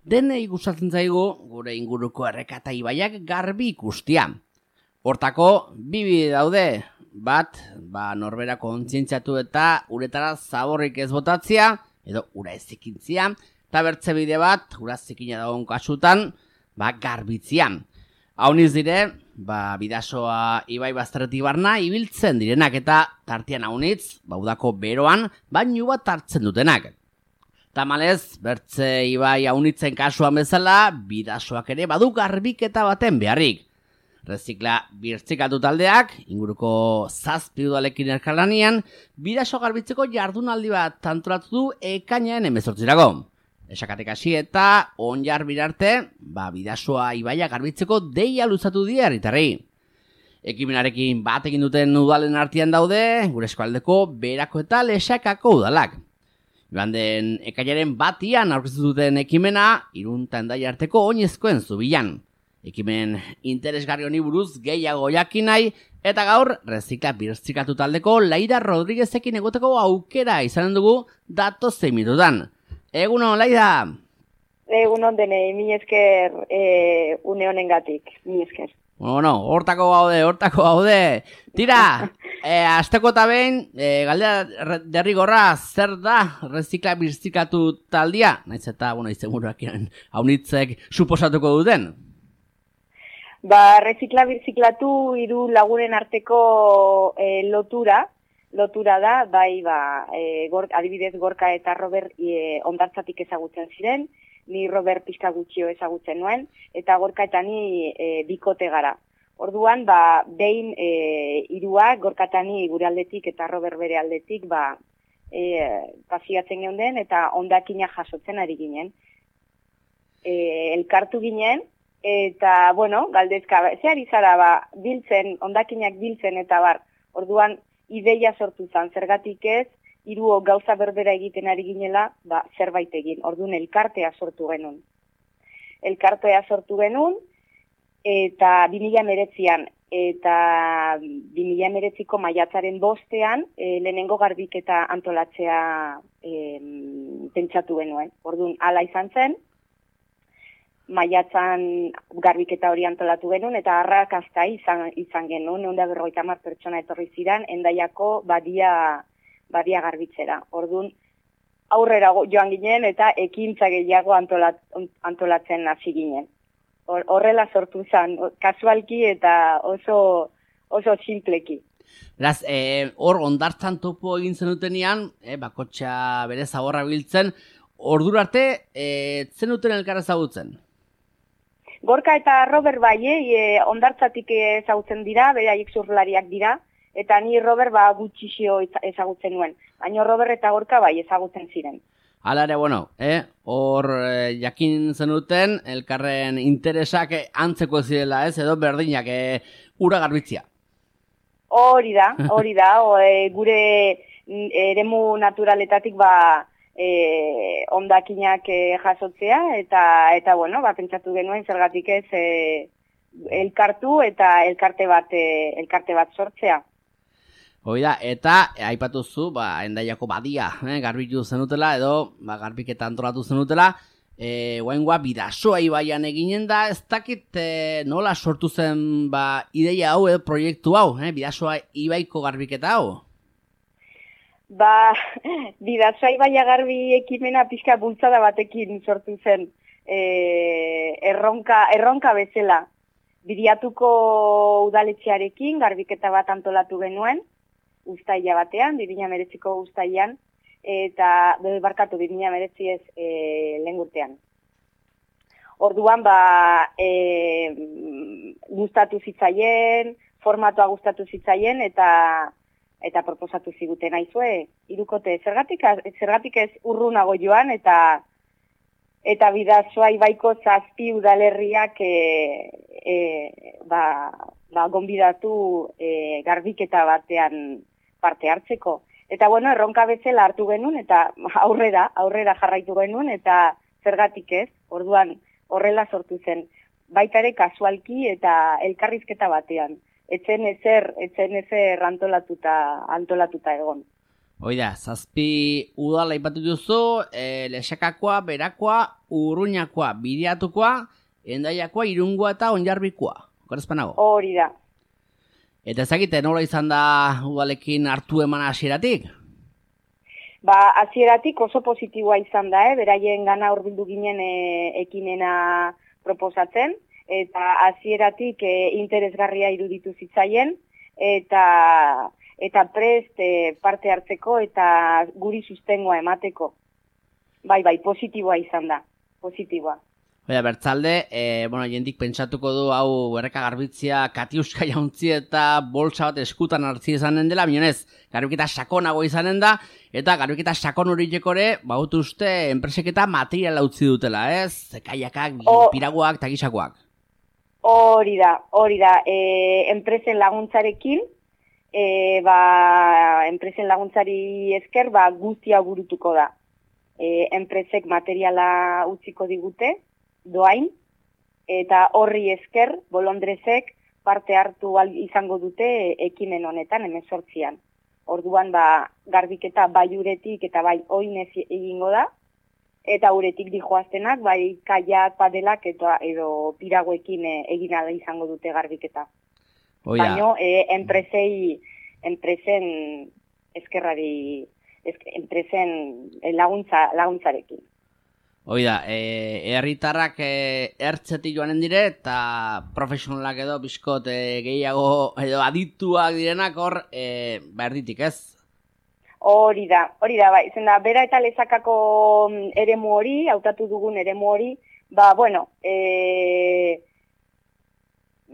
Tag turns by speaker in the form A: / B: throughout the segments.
A: Denei gustatzen zaigu gure inguruko erreka eta ibaiak garbi ikustia. Hortako, bi bide daude. Bat, norbera kontzientziatu eta uretara zaborrik ez botatzea, edo ura ez zikintzia, eta bertze bide bat, ura zikina dagoen kasutan, garbitzia. Hauniz dire, bidasoa ibai bazterretik barna ibiltzen direnak eta tartean haunitz, udako beroan, bainu bat hartzen dutenak. Tamalez, bertze ibai haunitzen kasuan bezala, bidasoak ere badu garbiketa baten beharrik. Rezikla birtzikatu taldeak, inguruko 7 udalekin elkarlanean, bidaso garbitzeko jardunaldi bat antolatu du ekainaren 18-rako. Esakatek hasi eta onjar birarte, bidasoa ibaia garbitzeko deia luzatu die herritarrei. Ekimenarekin bat egin duten udalen artean daude, gure eskualdeko Berako eta Lexakako udalak. Joan den ekainaren 1 aurkeztu duten ekimena, Irun eta Hendaia arteko oinezkoen zubilan. Ekimen interesgarri honi buruz gehiago jakin nahi, eta gaur rezikla birtzikatu taldeko Laida Rodriguezekin egoteko aukera izanen dugu datozen minututan. Egunon, Laida!
B: Egunon denei, mi esker une honengatik, mi esker.
A: Bueno, hortako gaude. Tira, asteko eta behin, galdera derrigorra, zer da rezikla birtzikatu taldia? Naiz eta, izenburuak haunitzek suposatuko duten.
B: Rezikla birziklatu 3 lagunen arteko lotura da, adibidez Gorka eta Robert ondartzatik ezagutzen ziren, ni Robert pixka gutxio ezagutzen nuen, eta Gorka eta ni bikote gara. Orduan, behin 3 Gorka eta ni gure aldetik eta Robert bere aldetik pasiatzen geunden eta ondakina jasotzen ari ginen. Elkartu ginen, eta, galdezka, zehar izara, biltzen, ondakinak biltzen eta orduan, ideia sortu zen, zergatik ez, 3 gauza berbera egiten ari ginela, zerbait egin, orduan elkartea sortu genuen. Eta 2019an, eta 2019ko maiatzaren 5ean, lehenengo garbiketa antolatzea pentsatu genuen. Orduan, hala izan zen, maiatzan garbiketa hori antolatu genuen, eta arrakasta izan genuen, 150 pertsona etorri ziren, Hendaiako badia garbitzera. Orduan, aurrera joan ginen, eta ekintza gehiago antolatzen hasi ginen. Horrela sortu zen, kasualki eta oso simpleki.
A: Beraz, hor ondartzan topo egin zenutenean, bakotxa bere zaborra biltzen, ordura arte, zenuten elkarra ezagutzen?
B: Gorka eta Robert ondartzatik ezagutzen dira, beraiek surflariak dira, eta ni Robert gutxixio ezagutzen nuen. Baina Robert eta Gorka ezagutzen ziren.
A: Hala ere, hor jakin zenuten, elkarren interesak antzeko zirela ez, edo berdinak ura garbitzia.
B: Hori da, gure eremu naturaletatik ondakinak jasotzea, eta pentsatu genuen zergatik ez elkartu eta elkarte bat sortzea.
A: Hoi da, eta aipatuzu, Hendaiako badia garbitu zenutela, edo garbiketa antolatu zenutela, guaingoa bidasoa ibaian eginen da, ez dakit nola sortu zen ideia hau, proiektu hau, bidasoa ibaiko garbiketa hau?
B: Bidasoa ibaia garbi ekimena pixka bultzada batekin sortu zen erronka bezala. Bidiatuko udaletxearekin garbiketa bat antolatu genuen, uztaila batean, 2019ko uztailan, eta 2019 ez lehen urtean. Orduan, gustatu zitzaien, formatua gustatu zitzaien, eta proposatu ziguten aizue, 3 zergatik ez urrunago joan, eta bidasoa ibaiko 7 udalerriak gonbidatu garbiketa batean parte hartzeko. Eta erronka bezala hartu genuen, eta aurrera jarraitu genuen, eta zergatik ez, orduan horrela sortu zen. Baita ere kasualki eta elkarrizketa batean. Etzen ezer antolatuta egon.
A: Oida, 7 udal aipatu duzu, Lexakakoa, Berakoa, Urruñakoa, Bideatukoa, Hendaiakoa, Irungoa eta Onjarbikoa. Okerezpanago?
B: Hori da.
A: Eta ezagite, nola izan da udalekin hartu eman hasieratik?
B: Hasieratik oso positiboa izan da, beraien gana hurbildu ginen ekimena proposatzen, eta hasieratik interesgarria iruditu zitzaien, eta prest parte hartzeko eta guri sustengoa emateko. Bai, positiboa izan da, positiboa.
A: Oida, bertzalde, jendik pentsatuko du hau erreka garbitzia katiuska jauntzi eta bolsa bat eskutan hartzi izanen dela, binonez, garbiketa sakonago izanen da, eta garbiketa sakon horiekore, baut uste, enpresek eta materiala utzi dutela, ez? Kaiakak, piraguak eta gisakoak.
B: Hori da, enpresen laguntzarekin, enpresen laguntzari esker, guztia burutuko da. Enpresek materiala utziko digute, doain, eta horri esker, bolondrezek parte hartu izango dute ekimen honetan, 18an. Orduan, garbiketa bai uretik eta bai oinez egingo da, eta uretik dijoaztenak, bai kaiak, padelak edo piraguekin egina izango dute garbiketa. Baina, enpresen eskerrari, enpresen laguntzarekin.
A: Oida, herritarrak ertzetik joanen dire eta profesionalak edo bizkot gehiago edo adituak direnak hor erditik, ez?
B: Hori da, izen da, Bera eta Lezakako eremu hori, hautatu dugun eremu hori,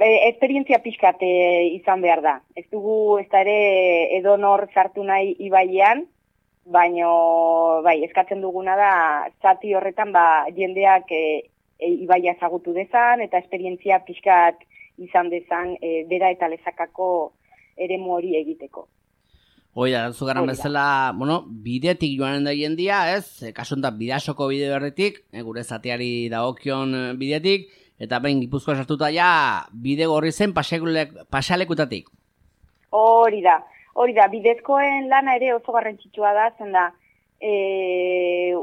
B: esperientzia pixkat izan behar da. Ez dugu, ez da ere edonor sartu nahi ibaian, baina eskatzen duguna da, zati horretan jendeak ibaia ezagutu dezan, eta esperientzia pixkat izan dezan Bera eta Lezakako eremu hori egiteko.
A: Oida, zugaran bezala, bidetik joanen da jendia, ez? Kasuntan Bidasoko bide berritik, gure zatiari dagokion bidetik, eta behin Gipuzkoa sartuta bide gorri zen pasealekutatik.
B: Hori da, bidezkoen lana ere oso garrantzitsua da, zen da,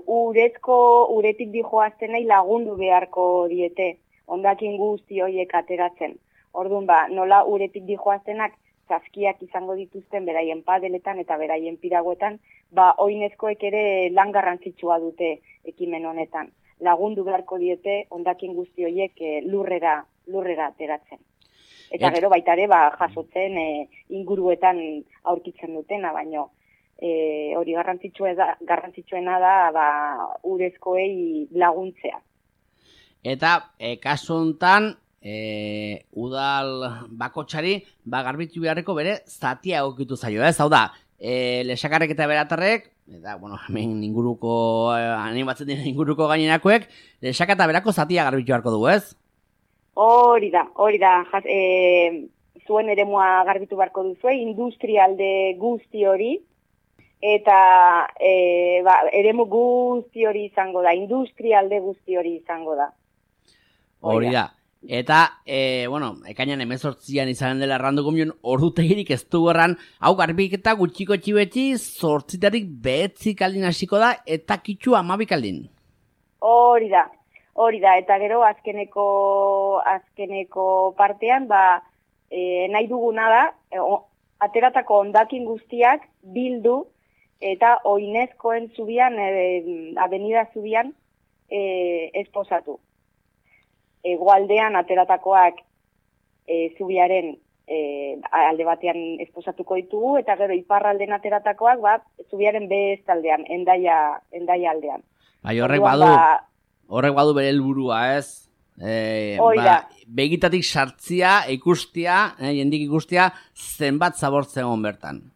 B: uretik dijoaztenei lagundu beharko diete, ondakin guzti horiek ateratzen. Orduan, nola uretik dijoaztenak zazkiak izango dituzten beraien padeletan eta beraien piraguetan, oinezkoek ere lan garrantzitsua dute ekimen honetan. Lagundu beharko diete ondakin guzti horiek lurrera ateratzen. Eta gero baita ere jasotzen inguruetan aurkitzen dutena, baino hori garrantzitsuena da urezkoei laguntzea. Eta
A: kasu honetan, udal bakotxari garbitu beharreko bere zatia egokitu zaio, ez? Hau da, Lexakarrek eta Beratarrek, eta, hemen inguruko, animatzen dira inguruko gainerakoek, Lexaka eta Berako zatia garbitu beharko du, ez?
B: Hori da, zuen eremua garbitu beharko duzu, industrialde guzti hori, eta eremu guzti hori izango da, industrialde guzti hori izango da.
A: Hori da. Eta, ekainan 18an izanen dela erranduko mion, ordutegirik ez du erran, hau garbiketa gutxiko txibetxi, 8 behetzik aldin hasiko da, eta kitxu 12 aldin.
B: Hori da, eta gero azkeneko partean, nahi duguna da, ateratako hondakin guztiak bildu, eta oinezkoen zubian, avenida zubian, esposatu. Egoaldean ateratakoak zubiaren alde batean esposatuko ditugu, eta gero iparralden ateratakoak zubiaren bestaldean, Hendaia aldean.
A: Horrek badu bere helburua, ez? Begitatik sartzia, ikustia, jendik ikustia, zenbat zabortzen egon bertan.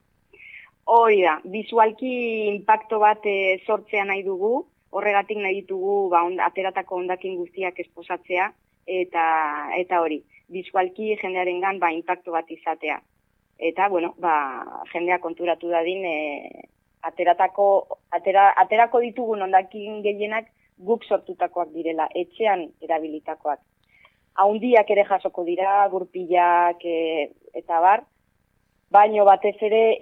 B: Hori da, bizualki inpakto bat sortzea nahi dugu, horregatik nahi ditugu ateratako hondakin guztiak esposatzea, eta hori, bizualki jendearengan inpakto bat izatea. Eta, jendea konturatu dadin, aterako ditugun hondakin gehienak guk sortutakoak direla, etxean erabilitakoak. Haundiak ere jasoko dira, gurpilak eta bar, baino batez ere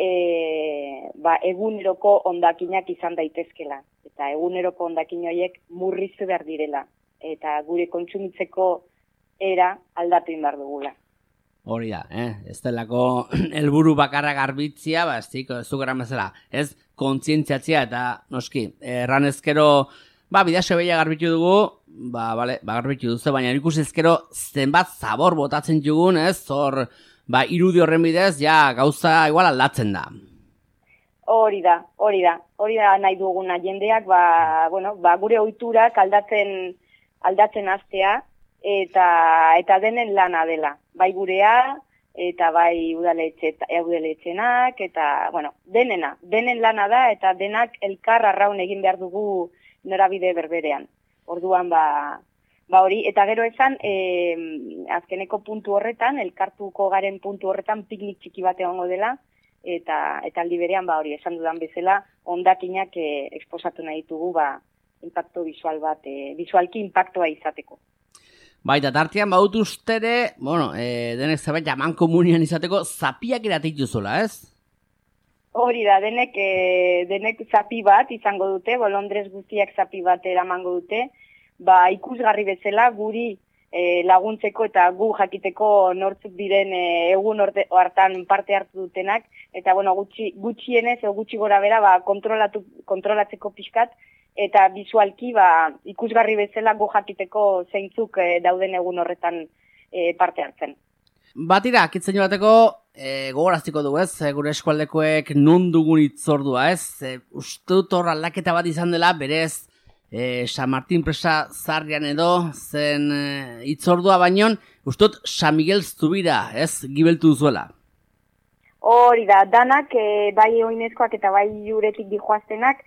B: eguneroko hondakinak izan daitezkela. Eta eguneroko hondakin horiek murriztu behar direla. Eta gure kontsumitzeko era aldatu behar dugula.
A: Hori da, ez delako helburu bakarra garbitzia, ez du gara bezala, ez kontzientziatzia eta noski, erranezkero, bidaxo behia garbitu dugu, garbitu duzu, baina ikusi ezkero zenbat zabor botatzen dugun, ez, hor, irudi horren bidez, gauza igual aldatzen da.
B: Hori da nahi duguna jendeak, gure ohiturak aldatzen hastea, eta denen lana dela, bai gurea, eta bai udaletxenak, eta, denen lana da, eta denak elkar arraun egin behar dugu norabide berberean. Orduan, hori, eta gero esan, azkeneko puntu horretan, elkartuko garen puntu horretan, piknik txiki bat egongo dela, eta aldi berean, hori, esan dudan bezala, hondakinak eksposatu nahi ditugu, impacto visual bat, visualki impactoa izateko.
A: Baita, tartean baut ustere, denek zabait jaman komunian izateko, zapiak eratik duzola, ez?
B: Hori da, denek zapi bat izango dute, bolondrez guztiak zapi bat eramango dute, ikusgarri bezala guri laguntzeko eta gu jakiteko nortzuk diren egun hartan parte hartu dutenak, eta gutxienez, gutxi gora bera, kontrolatzeko pixkat, eta bizualki ikusgarri bezala gu jakiteko zeintzuk dauden egun horretan parte hartzen.
A: Batira, kitzen bateko gogoraztiko dugu, ez? Gure eskualdekoek non dugun itzordua, ez? Uste dut hor aldaketa bat izan dela, berez San Martin presa zarrian edo zen itzordua baino, uste dut San Miguel Zubira, ez? Gibeltu duzuela.
B: Hori da, danak, bai oinezkoak eta bai juretik dijoaztenak,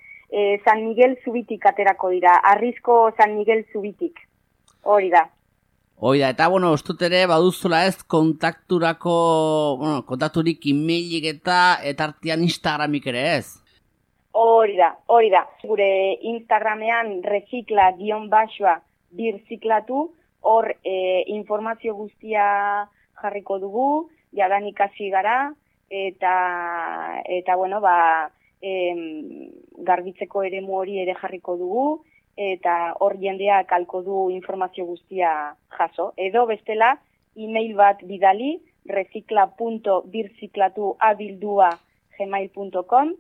B: San Miguel Zubitik aterako dira, Arrizko San Miguel Zubitik, hori da.
A: Hoi da, eta ustut ere baduzula ez kontakturik emailik eta artean Instagramik ere ez?
B: Hori da. Gure Instagramean recicla_birziklatu, hor informazio guztia jarriko dugu, jadanik hasi gara, eta garbitzeko eremu hori ere jarriko dugu, eta hor jendeak alko du informazio guztia jaso. Edo bestela, email bat bidali, recicla.birziklatu@gmail.com,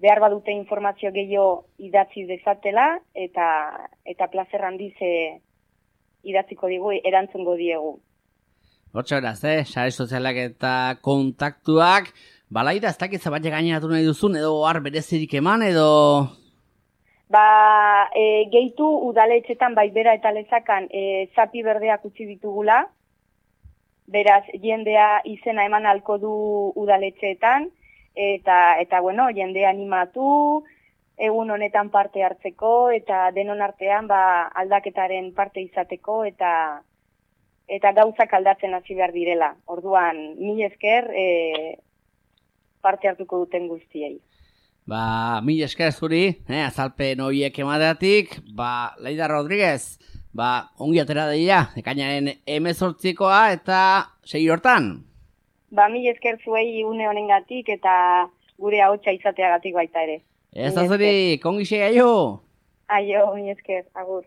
B: behar badute informazio gehiago idatzi dezatela, eta plazer handiz idatziko digu, erantzungo diegu.
A: Hortxe beraz, sare sozialak eta kontaktuak, balaida ez dakit zabat gaineratu nahi duzun, edo har berezirik eman, edo...
B: Gehitu udaletxetan bera eta lezakan zapi berdeak utzi ditugula, beraz jendea izena eman alko du udaletxeetan, eta jendea animatu, egun honetan parte hartzeko, eta denon artean aldaketaren parte izateko, eta gauzak aldatzen hasi behar direla. Orduan, mila esker parte hartuko duten guztiei.
A: Mila esker zuri, azalpen horiek emateatik, Laida Rodríguez, ongi atera deia, ekainaren 18koa eta 6 hortan.
B: Mila esker zuei une honengatik eta gure ahotsa izateagatik baita ere.
A: Ez da zuri, kongi xe, aio!
B: Aio, mila esker, agur.